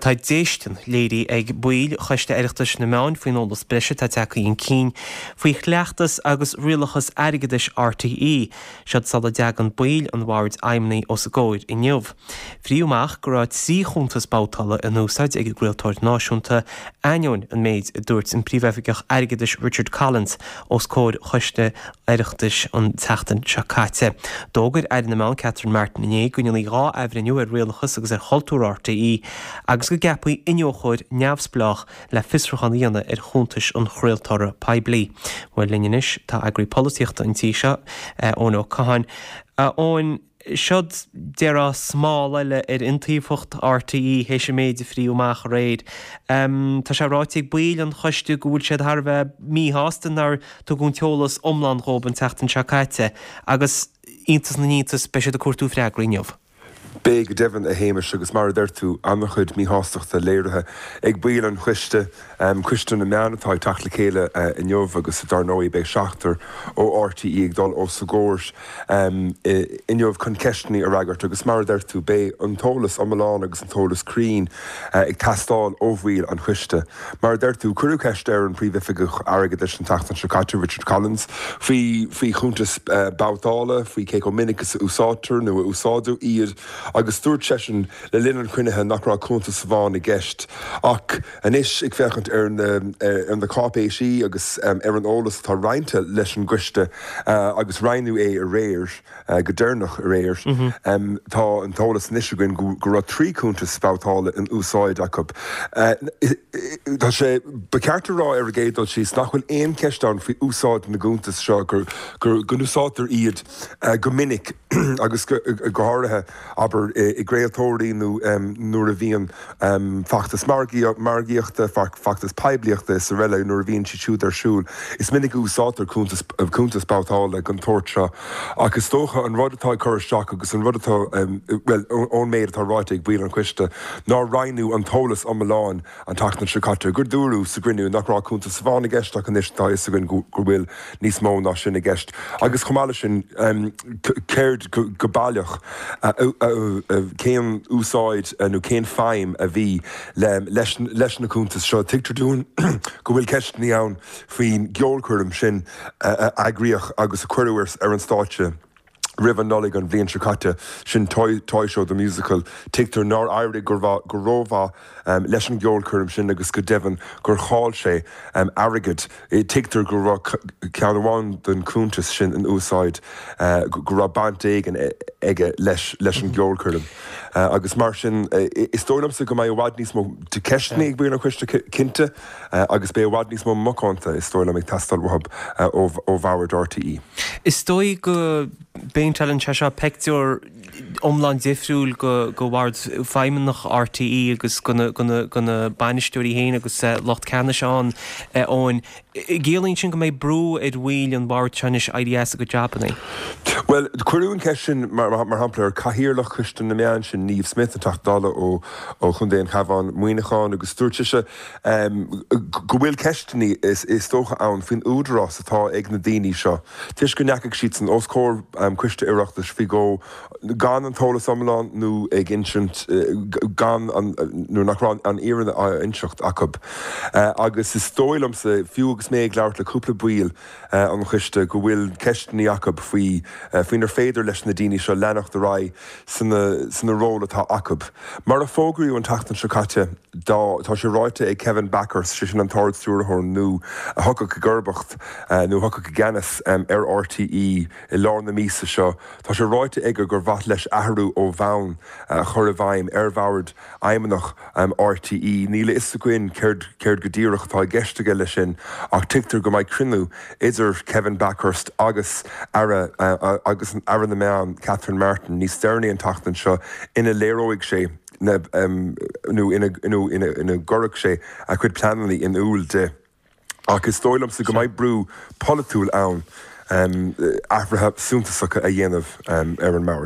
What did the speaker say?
Bhuel, tá déistin léirithe ag baill Choiste Oireachtais na Meán faoin eolas breise atá tagtha chun cinn faoi chleachtas agus rialachas airgeadais RTÉ. Seod sula dtagann baill an Bhoird Fheidhmeannaigh os a gcomhair inniu. Frítheadh amach go raibh 3 chuntas babhtála in úsáid ag an gcraoltóir náisiúnta, ainneoin an méid a dúirt an Príomhoifigeach Airgeadais Richard Collins os comhair Choiste Oireachtais an tseachtain seo caite. D'fhógair Aire na Meán Catherine Martin inné go ndéanfaí 2 athbhreithniú ar rialachas agus ar chultúr RTÉ agus go gceapfaí iniúchóir neamhspleách le fiosrúchán a dhéanamh ar chuntais an chraoltóra poiblí. Bhuel, linn anois tá eagraí polaitíochta an tí seo, Eoin Ó Catháin. A Eoin, seod, déarfá, smál eile ar iontaofacht RTÉ théis an méid a frítheadh amach aréir. Tá sé ráite ag baill an choiste go bhfuil siad thar a bheith míshásta nár tugadh an t-eolas iomlán dhóibh an tseachtain seo caite agus, iontas na n-iontas, beidh siad ag cuartú freagraí inniu. Beidh go deimhin, a Shéamais, agus mar a deir tú, an-chuid míshástachta léirithe ag baill an choiste, Coiste na Meán atá ag teacht le chéile inniu agus dar ndóigh beidh seachtar ó RTÉ ag dul os a gcomhair inniu chun ceisteanna a fhreagairt agus mar a deir tú, beidh an t-eolas iomlán agus an t-eolas cruinn ag teastáil ó bhaill an choiste. Mar a deir tú, cuireadh ceist ar an Phríomhoifigeach Airgeadais an tseachtain seo caite, Richard Collins, faoi faoi chuntais babhtála, faoi cé chomh minic is a úsáidtear nó a úsáideadh iad agus dúirt seisean le linn an chruinnithe nach raibh cuntas amháin i gceist. Ach anois, ag féachaint ar na ar na cáipéisí agus ar an eolas atá roinnte leis an gcoiste agus roinneadh é aréir, Go deireanach aréir, tá an t-eolas anois againn go raibh 3 cuntas babhtála in úsáid acu. Tá sé, ba cheart a rá ar an gcéad dul síos nach bhfuil aon cheist ann faoi úsáid na gcuntas seo, go n-úsáidtear iad go minic agus go háirithe, abair, i gcraoltóirí nó nuair a bhíonn feachtas margaíochta, feachtas poiblíochta is araile nuair a bhíonn siad siúd ar siúl. Is minic a úsáidtear cuntas babhtála den tsórt seo ach is dócha an rud atá ag cur isteach agus an rud atá, bhuel, ón méid atá ráite ag baill an choiste, nár roinneadh an t-eolas iomlán an tseachtain seo caite, gur dúradh sa gcruinniú nach raibh cuntas amháin i gceist ach anois tá a fhios againn go bhfuil níos mó ná sin i gceist. Agus chomh maith leis sin, céard go baileach, cén úsáid nó cén feidhm a bhí leis na cuntais seo? Tuigtear dúinn go bhfuil ceisteanna ann faoin gceolchoirm sin a eagraíodh agus a cuireadh ar an stáitse roimh an Nollaig an bhliain seo caite, sin Toy Show The Musical. Tuigtear nár éirigh go rómhaith leis an gceolchoirm sin agus go deimhin gur chaill sé airgead. Tuigtear go raibh ceann amháin den chuntas sin in úsáid, go raibh baint éigin aige leis an gceolchoirm. Agus mar sin, is dóigh liomsa go mbeidh i bhfad níos mó ceisteanna ag baill an choiste cinnte agus beidh i bhfad níos mó macánta, is dóigh liom, ag teastáil uathu ó bhord RTÉ. Is dóigh go bpéinteálann sé seo pictiúr iomlán difriúil go Bhord Feidhmeannach RTÉ agus go na bainisteoirí féin agus lucht ceannais ann, Eoin. Ciallaíonn sin go mbeidh brú ar bhaill an bhoird seo anois éirí as a gcuid jabannaí? Bhuel, cuireadh an cheist sin, mar shampla, ar Chathaoirleach Choiste na Meán, sin Niamh Smyth, an Teachta Dála ó Chontae an Chabháin, Muineachán, agus dúirt sise go bhfuil ceisteanna, is dócha, ann faoin údarás atá ag na daoine seo toisc go ndeachaigh siadsan os comhair Coiste Oireachtais faoi dhó gan an t-eolas iomlán nó ag insint gan an nuair nach raibh an fhírinne á inseacht acu. Agus is dóigh liomsa, fiú agus mé ag labhairt le cúpla baill an choiste, go bhfuil ceisteanna acu faoi faoinar féidir leis na daoine seo leanacht ar aghaidh sna sna ról atá acu. Mar a fógraíodh an tseachtain seo caite, dá tá sé ráite ag Kevin Bakhurst, sé sin an tArd-Stiúrthóir nua a thiocfadh i gcomharbacht nó a thiocfadh i gceannas ar RTÉ i lár na míosa seo, Tá sé ráite aige gur mhaith leis athrú ó bhonn a chur i bhfeidhm ar Bhord Fheidhmeannach RTÉ. Níl a fhios againn céard céard go díreach atá i gceist aige leis sin ach tuigtear go mbeidh cruinniú idir Kevin Bakhurst agus Aire agus Aire na Meán Catherine Martin níos deireanaí an tseachtain seo ina léireoidh sé na nó ina nó ina gcuirfidh sé a chuid pleananna in iúl di. Ach is dóigh liomsa go mbeidh brú polaitiúil ann athruithe suntasacha a dhéanamh ar an mbord.